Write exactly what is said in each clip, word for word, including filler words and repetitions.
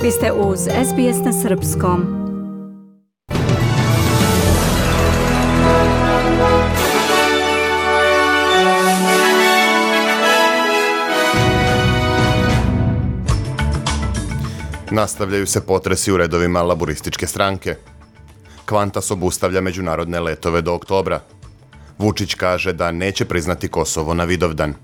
Vi ste uz S B S na srpskom. Nastavljaju se potresi u redovima laburističke stranke. Qantas obustavlja međunarodne letove do oktobra. Vučić kaže da neće priznati Kosovo na Vidovdan.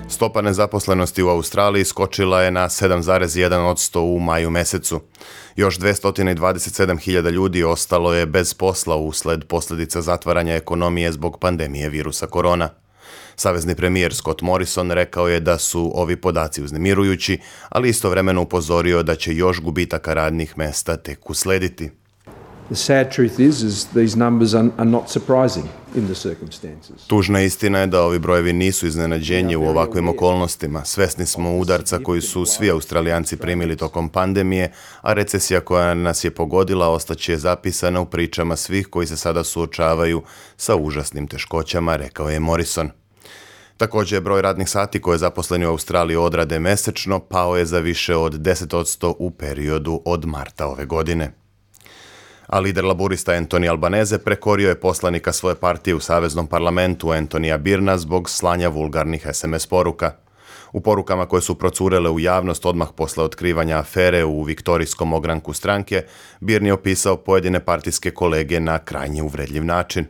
Stopa nezaposlenosti u Australiji skočila je na sedam zarez jedan posto u maju mesecu. Još dvesta dvadeset sedam hiljada ljudi ostalo je bez posla usled posljedica zatvaranja ekonomije zbog pandemije virusa korona. Savezni premijer Scott Morrison rekao je da su ovi podaci uznemirujući, ali istovremeno upozorio da će još gubitaka radnih mesta tek uslediti. The sad truth is, is these numbers are, are not surprising in the circumstances. Tužna istina je da ovi brojevi nisu iznenađenje u ovakvim okolnostima. Svesni smo udarca koji su svi Australijanci primili tokom pandemije, a recesija koja nas je pogodila ostaće zapisana u pričama svih koji se sada suočavaju sa užasnim teškoćama, rekao je Morrison. Također je broj radnih sati koje zaposleni u Australiji odrade mesečno pao je za više od deset posto u periodu od marta ove godine. A lider laburista Anthony Albanese prekorio je poslanika svoje partije u Saveznom parlamentu Anthonyja Byrna zbog slanja vulgarnih S M S poruka. U porukama koje su procurele u javnost odmah posle otkrivanja afere u viktorijskom ogranku stranke, Byrne je opisao pojedine partijske kolege na krajnje uvredljiv način.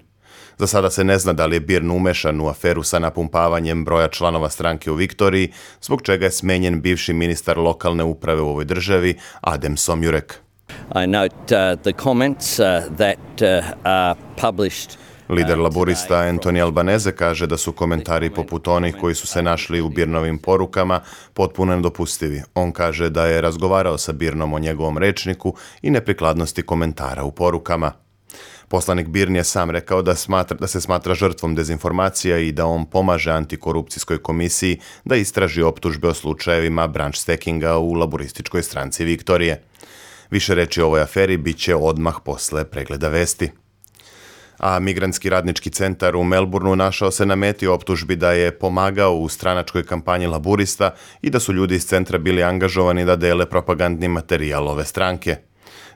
Za sada se ne zna da li je Byrne umešan u aferu sa napumpavanjem broja članova stranke u Viktoriji, zbog čega je smenjen bivši ministar lokalne uprave u ovoj državi, Adem Somjurek. I note uh, the comments uh, that uh, are published. Lider laburista Anthony Albanese kaže da su komentari poput onih koji su se našli u Byrnovim porukama potpuno nedopustivi. On kaže da je razgovarao sa Byrnom o njegovom rečniku i neprikladnosti komentara u porukama. Poslanik Byrne je sam rekao da, smatra, da se smatra žrtvom dezinformacija i da on pomaže antikorupcijskoj komisiji da istraži optužbe o slučajevima branch stackinga u laburističkoj stranci Viktorije. Više reči o ovoj aferi bit će odmah posle pregleda vesti. A Migrantski radnički centar u Melbourneu našao se na meti optužbi da je pomagao u stranačkoj kampanji laburista i da su ljudi iz centra bili angažovani da dele propagandni materijal ove stranke.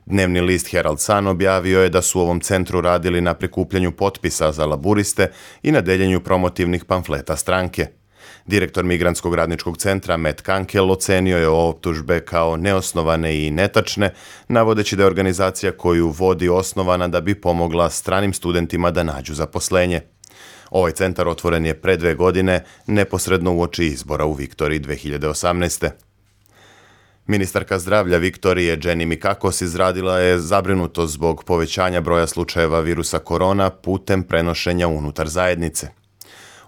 Dnevni list Herald Sun objavio je da su u ovom centru radili na prikupljanju potpisa za laburiste i na deljenju promotivnih pamfleta stranke. Direktor Migrantskog radničkog centra Matt Kunkel ocenio je optužbe kao neosnovane i netačne, navodeći da je organizacija koju vodi osnovana da bi pomogla stranim studentima da nađu zaposlenje. Ovaj centar otvoren je pre dve godine, neposredno uoči izbora u Viktoriji dve hiljade osamnaeste. Ministarka zdravlja Viktorije Jenny Mikakos izradila je zabrinutost zbog povećanja broja slučajeva virusa korona putem prenošenja unutar zajednice.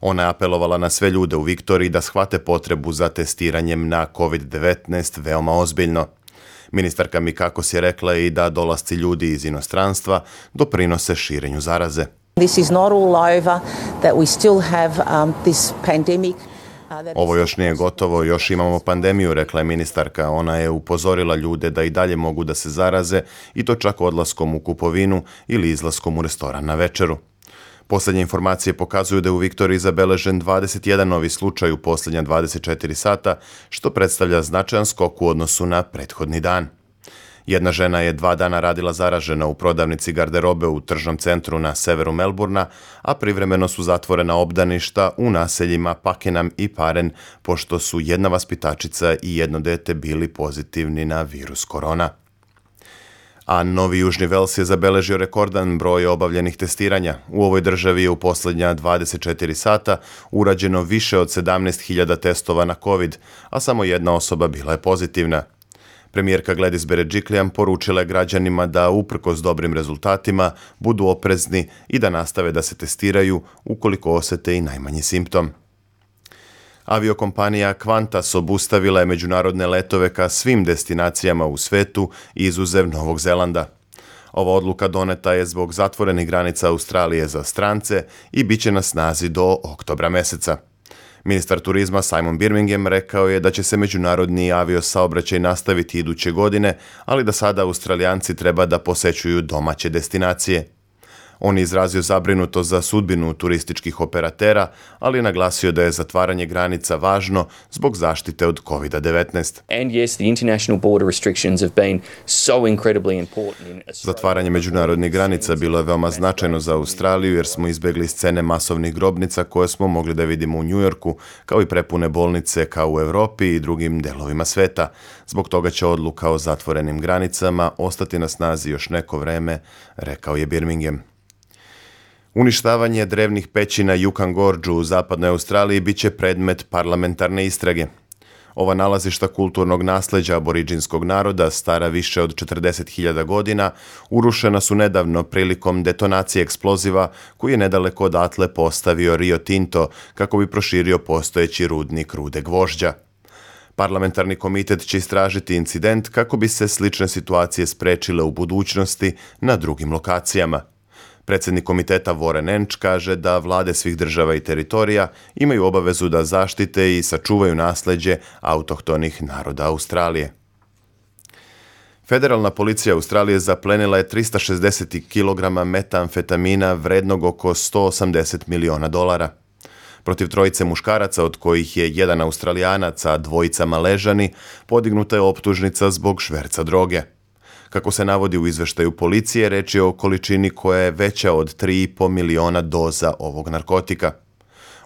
Ona je apelovala na sve ljude u Viktoriji da shvate potrebu za testiranjem na kovid devetnaest veoma ozbiljno. Ministarka Mikakos je rekla i da dolasci ljudi iz inostranstva doprinose širenju zaraze. This is not all over, that we still have um, this pandemic. Ovo još nije gotovo, još imamo pandemiju, rekla je ministarka. Ona je upozorila ljude da i dalje mogu da se zaraze i to čak odlaskom u kupovinu ili izlaskom u restoran na večeru. Posljednje informacije pokazuju da je u Viktoriji zabeležen dvadeset jedan novi slučaj u posljednja dvadeset četiri sata, što predstavlja značajan skok u odnosu na prethodni dan. Jedna žena je dva dana radila zaražena u prodavnici garderobe u tržnom centru na severu Melbourna, a privremeno su zatvorena obdaništa u naseljima Pakenham i Paren, pošto su jedna vaspitačica i jedno dete bili pozitivni na virus korona. A Novi Južni Vels je zabeležio rekordan broj obavljenih testiranja. U ovoj državi je u posljednja dvadeset četiri sata urađeno više od sedamnaest hiljada testova na COVID, a samo jedna osoba bila je pozitivna. Premijerka Gladys Berejiklian poručila je građanima da uprkos dobrim rezultatima budu oprezni i da nastave da se testiraju ukoliko osete i najmanji simptom. Aviokompanija Qantas obustavila je međunarodne letove ka svim destinacijama u svetu izuzev Novog Zelanda. Ova odluka doneta je zbog zatvorenih granica Australije za strance i bit će na snazi do oktobra meseca. Ministar turizma Simon Birmingham rekao je da će se međunarodni aviosaobraćaj nastaviti iduće godine, ali da sada Australijanci treba da posećuju domaće destinacije. On je izrazio zabrinutost za sudbinu turističkih operatera, ali je naglasio da je zatvaranje granica važno zbog zaštite od kovid devetnaest. And yes, the international border restrictions have been so incredibly important in Australia. Zatvaranje međunarodnih granica bilo je veoma značajno za Australiju jer smo izbjegli scene masovnih grobnica koje smo mogli da vidimo u Njujorku, kao i prepune bolnice kao u Europi i drugim delovima sveta. Zbog toga će odluka o zatvorenim granicama ostati na snazi još neko vreme, rekao je Birmingham. Uništavanje drevnih pećina Juukan Gorđu u zapadnoj Australiji bit će predmet parlamentarne istrage. Ova nalazišta kulturnog nasleđa aboriđinskog naroda, stara više od četrdeset hiljada godina, urušena su nedavno prilikom detonacije eksploziva koji je nedaleko odatle postavio Rio Tinto kako bi proširio postojeći rudnik rude gvožđa. Parlamentarni komitet će istražiti incident kako bi se slične situacije sprečile u budućnosti na drugim lokacijama. Predsjednik komiteta Warren Entsch kaže da vlade svih država i teritorija imaju obavezu da zaštite i sačuvaju nasleđe autohtonih naroda Australije. Federalna policija Australije zaplenila je trista šezdeset kilograma metamfetamina vrednog oko sto osamdeset miliona dolara. Protiv trojice muškaraca, od kojih je jedan Australijanac, a dvojica Maležani, podignuta je optužnica zbog šverca droge. Kako se navodi u izveštaju policije, reč je o količini koja je veća od tri i po miliona doza ovog narkotika.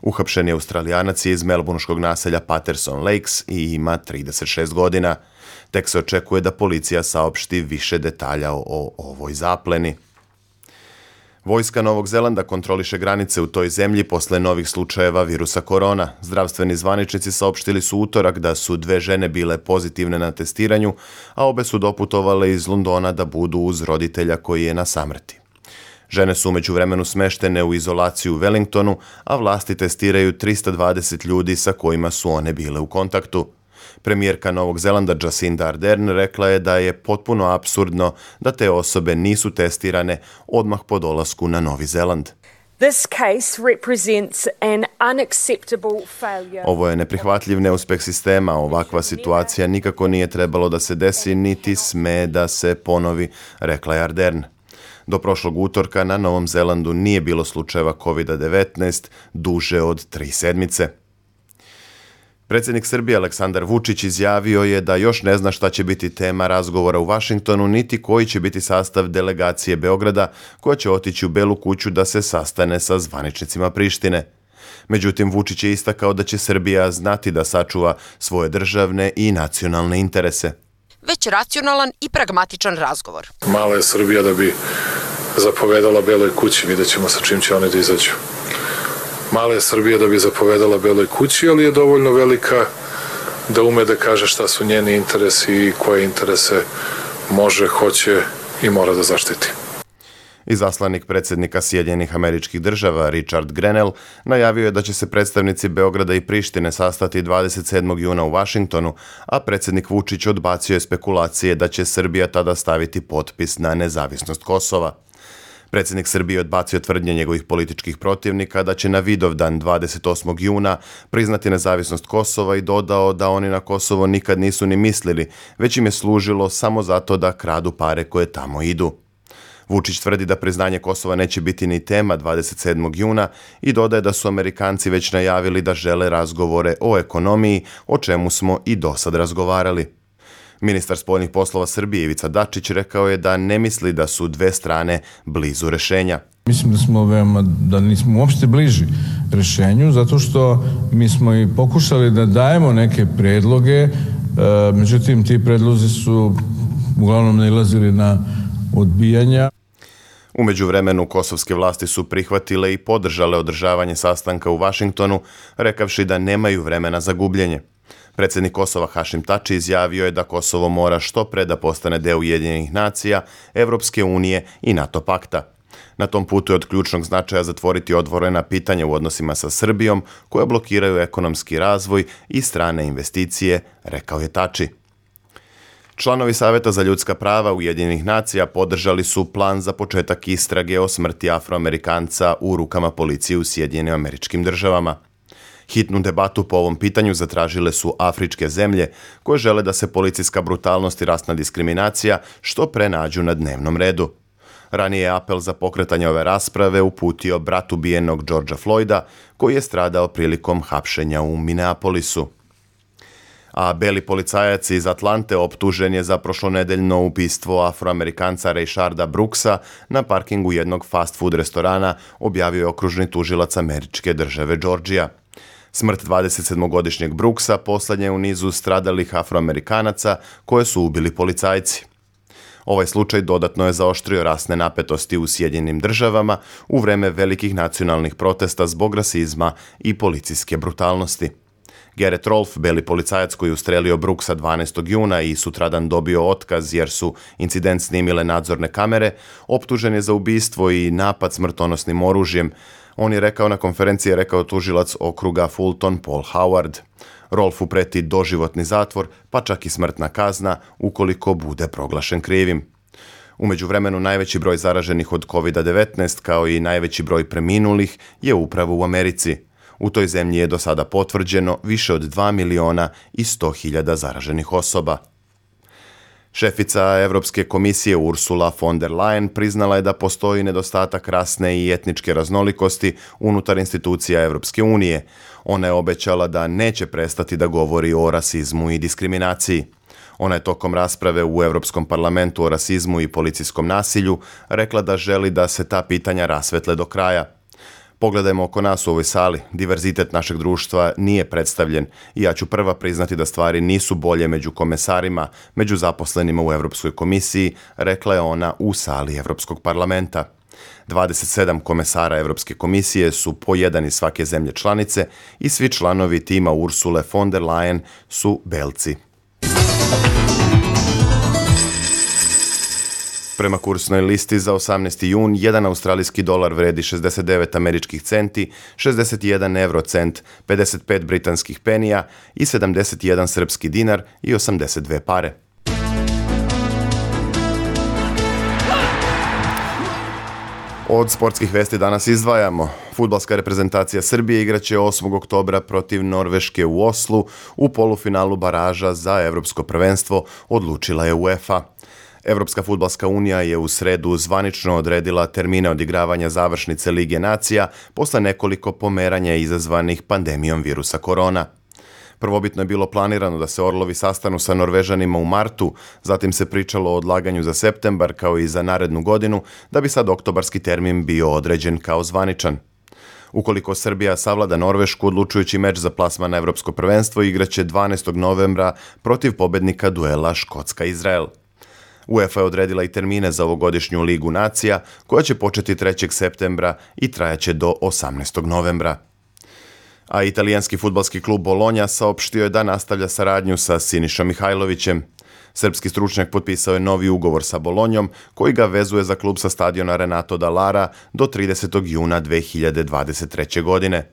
Uhapšeni Australijanac je iz melbourneškog naselja Patterson Lakes i ima trideset šest godina. Tek se očekuje da policija saopšti više detalja o, o ovoj zapleni. Vojska Novog Zelanda kontroliše granice u toj zemlji posle novih slučajeva virusa korona. Zdravstveni zvaničnici saopštili su utorak da su dve žene bile pozitivne na testiranju, a obe su doputovale iz Londona da budu uz roditelja koji je na samrti. Žene su umeđu vremenu smeštene u izolaciju u Wellingtonu, a vlasti testiraju trista dvadeset ljudi sa kojima su one bile u kontaktu. Premijerka Novog Zelanda Jacinda Ardern rekla je da je potpuno apsurdno da te osobe nisu testirane odmah po dolasku na Novi Zeland. This case represents an unacceptable failure. Ovo je neprihvatljiv neuspeh sistema. Ovakva situacija nikako nije trebalo da se desi, niti sme da se ponovi, rekla je Ardern. Do prošlog utorka na Novom Zelandu nije bilo slučajeva kovid devetnaest duže od tri sedmice. Predsjednik Srbije Aleksandar Vučić izjavio je da još ne zna šta će biti tema razgovora u Vašingtonu, niti koji će biti sastav delegacije Beograda koja će otići u Belu kuću da se sastane sa zvaničnicima Prištine. Međutim, Vučić je istakao da će Srbija znati da sačuva svoje državne i nacionalne interese. Već racionalan i pragmatičan razgovor. Mala je Srbija da bi zapovedala Beloj kući, vidjet ćemo sa čim će oni da izađu. Mala je Srbija da bi zapovedala Beloj kući, ali je dovoljno velika da ume da kaže šta su njeni interesi i koje interese može, hoće i mora da zaštiti. Izaslanik predsjednika Sjedinjenih Američkih Država Richard Grenell najavio je da će se predstavnici Beograda i Prištine sastati dvadeset sedmog juna u Vašingtonu, a predsjednik Vučić odbacio je spekulacije da će Srbija tada staviti potpis na nezavisnost Kosova. Predsjednik Srbije odbacio tvrdnje njegovih političkih protivnika da će na Vidovdan dvadeset osmog juna priznati nezavisnost Kosova i dodao da oni na Kosovo nikad nisu ni mislili, već im je služilo samo zato da kradu pare koje tamo idu. Vučić tvrdi da priznanje Kosova neće biti ni tema dvadeset sedmog juna i dodaje da su Amerikanci već najavili da žele razgovore o ekonomiji, o čemu smo i dosad razgovarali. Ministar spoljnih poslova Srbije Ivica Dačić rekao je da ne misli da su dve strane blizu rešenja. Mislim da smo veoma, da nismo uopšte bliži rešenju, zato što mi smo i pokušali da dajemo neke predloge, međutim ti predlozi su uglavnom nailazili na odbijanja. U međuvremenu kosovske vlasti su prihvatile i podržale održavanje sastanka u Vašingtonu, rekavši da nemaju vremena za gubljenje. Predsjednik Kosova Hašim Tači izjavio je da Kosovo mora što pre da postane deo Ujedinjenih nacija, Evropske unije i NATO pakta. Na tom putu je od ključnog značaja zatvoriti otvorena pitanja u odnosima sa Srbijom, koja blokiraju ekonomski razvoj i strane investicije, rekao je Tači. Članovi Saveta za ljudska prava Ujedinjenih nacija podržali su plan za početak istrage o smrti Afroamerikanca u rukama policije u Sjedinjenim Američkim Državama. Hitnu debatu po ovom pitanju zatražile su afričke zemlje koje žele da se policijska brutalnost i rasna diskriminacija što pre nađu na dnevnom redu. Ranije je apel za pokretanje ove rasprave uputio brat ubijenog Georgea Floyda, koji je stradao prilikom hapšenja u Minneapolisu. A beli policajac iz Atlante optužen je za prošlonedeljno ubistvo Afroamerikanca Rayšarda Brooksa na parkingu jednog fast food restorana, objavio je okružni tužilac američke države Georgija. Smrt dvadesetsedmogodišnjeg Brooksa poslednje je u nizu stradalih Afroamerikanaca koje su ubili policajci. Ovaj slučaj dodatno je zaoštrio rasne napetosti u Sjedinjenim državama u vreme velikih nacionalnih protesta zbog rasizma i policijske brutalnosti. Garrett Rolfe, beli policajac koji je ustrelio Brooksa dvanaestog juna i sutradan dobio otkaz jer su incident snimile nadzorne kamere, optužen je za ubistvo i napad smrtonosnim oružjem. On je rekao na konferenciji, je rekao tužilac okruga Fulton Paul Howard. Rolfu preti doživotni zatvor, pa čak i smrtna kazna ukoliko bude proglašen krivim. U međuvremenu najveći broj zaraženih od kovid devetnaest kao i najveći broj preminulih je upravo u Americi. U toj zemlji je do sada potvrđeno više od dva miliona i sto hiljada zaraženih osoba. Šefica Evropske komisije Ursula von der Leyen priznala je da postoji nedostatak rasne i etničke raznolikosti unutar institucija Evropske unije. Ona je obećala da neće prestati da govori o rasizmu i diskriminaciji. Ona je tokom rasprave u Evropskom parlamentu o rasizmu i policijskom nasilju rekla da želi da se ta pitanja rasvetle do kraja. Pogledajmo oko nas u ovoj sali. Diverzitet našeg društva nije predstavljen i ja ću prva priznati da stvari nisu bolje među komesarima, među zaposlenima u Evropskoj komisiji, rekla je ona u sali Evropskog parlamenta. dvadeset sedam komesara Evropske komisije su po jedan iz svake zemlje članice i svi članovi tima Ursule von der Leyen su belci. Prema kursnoj listi za osamnaesti jun, jedan australijski dolar vredi šezdeset devet američkih centi, šezdeset jedan eurocent, pedeset pet britanskih penija i sedamdeset jedan srpski dinar i osamdeset dve pare. Od sportskih vesti danas izdvajamo. Fudbalska reprezentacija Srbije igraće osmog oktobra protiv Norveške u Oslu u polufinalu baraža za evropsko prvenstvo, odlučila je UEFA. Evropska fudbalska unija je u sredu zvanično odredila termine odigravanja završnice Lige nacija posle nekoliko pomeranja izazvanih pandemijom virusa korona. Prvobitno je bilo planirano da se Orlovi sastanu sa Norvežanima u martu, zatim se pričalo o odlaganju za septembar kao i za narednu godinu, da bi sad oktobarski termin bio određen kao zvaničan. Ukoliko Srbija savlada Norvešku, odlučujući meč za plasman na evropsko prvenstvo igraće dvanaestog novembra protiv pobednika duela Škotska-Izrael. UEFA je odredila i termine za ovogodišnju Ligu nacija, koja će početi trećeg septembra i trajaće do osamnaestog novembra. A italijanski fudbalski klub Bolonja saopštio je da nastavlja saradnju sa Sinišom Mihajlovićem. Srpski stručnjak potpisao je novi ugovor sa Bolonjom, koji ga vezuje za klub sa stadiona Renato Dallara do tridesetog juna dve hiljade dvadeset treće. godine.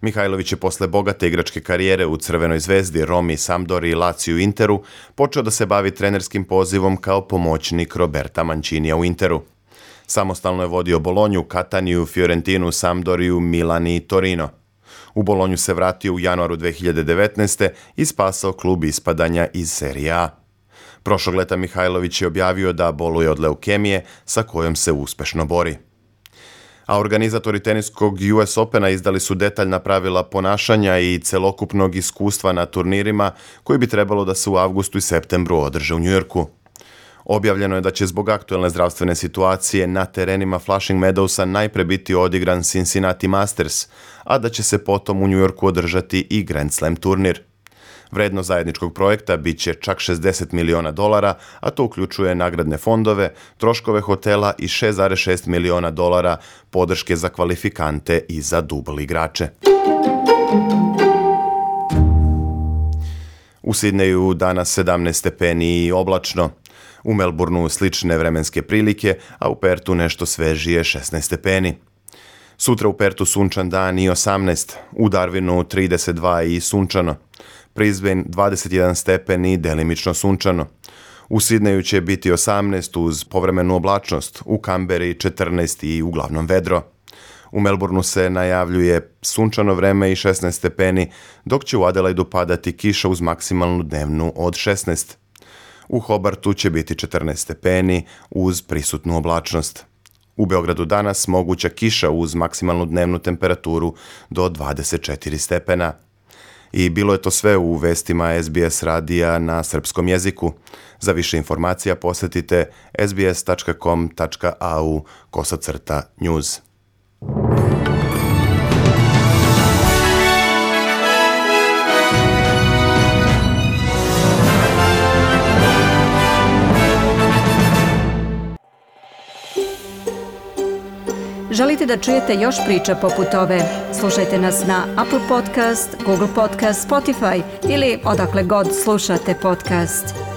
Mihajlović je posle bogate igračke karijere u Crvenoj zvezdi, Romi, Sampdori i Laziju Interu počeo da se bavi trenerskim pozivom kao pomoćnik Roberta Mancinija u Interu. Samostalno je vodio Bolonju, Kataniju, Fiorentinu, Sampdoriju, Milan i Torino. U Bolonju se vratio u januaru dve hiljade devetnaeste. i spasao klub ispadanja iz Serije A. Prošlog leta Mihajlović je objavio da boluje od leukemije sa kojom se uspešno bori. A organizatori teniskog U S Opena izdali su detaljna pravila ponašanja i celokupnog iskustva na turnirima koji bi trebalo da se u avgustu i septembru održe u Njujorku. Objavljeno je da će zbog aktuelne zdravstvene situacije na terenima Flushing Meadowsa najpre biti odigran Cincinnati Masters, a da će se potom u Njujorku održati i Grand Slam turnir. Vrednost zajedničkog projekta bit će čak šezdeset miliona dolara, a to uključuje nagradne fondove, troškove hotela i šest zarez šest miliona dolara podrške za kvalifikante i za dubl igrače. U Sidneju danas sedamnaest stepeni i oblačno. U Melbourneu slične vremenske prilike, a u Pertu nešto svežije šesnaest stepeni. Sutra u Pertu sunčan dan i osamnaest, u Darwinu trideset dva i sunčano. Brisbane dvadeset jedan stepen i delimično sunčano. U Sidneju će biti osamnaest uz povremenu oblačnost, u Kamberi četrnaest i uglavnom vedro. U Melbourneu se najavljuje sunčano vreme i šesnaest stepeni, dok će u Adelaidu padati kiša uz maksimalnu dnevnu od šesnaest. U Hobartu će biti četrnaest stepeni uz prisutnu oblačnost. U Beogradu danas moguća kiša uz maksimalnu dnevnu temperaturu do dvadeset četiri stepena. I bilo je to sve u vestima S B S radija na srpskom jeziku. Za više informacija posjetite sbs.com.au kosacrta news. Želite da čujete još priča poput ove? Slušajte nas na Apple Podcast, Google Podcast, Spotify ili odakle god slušate podcast.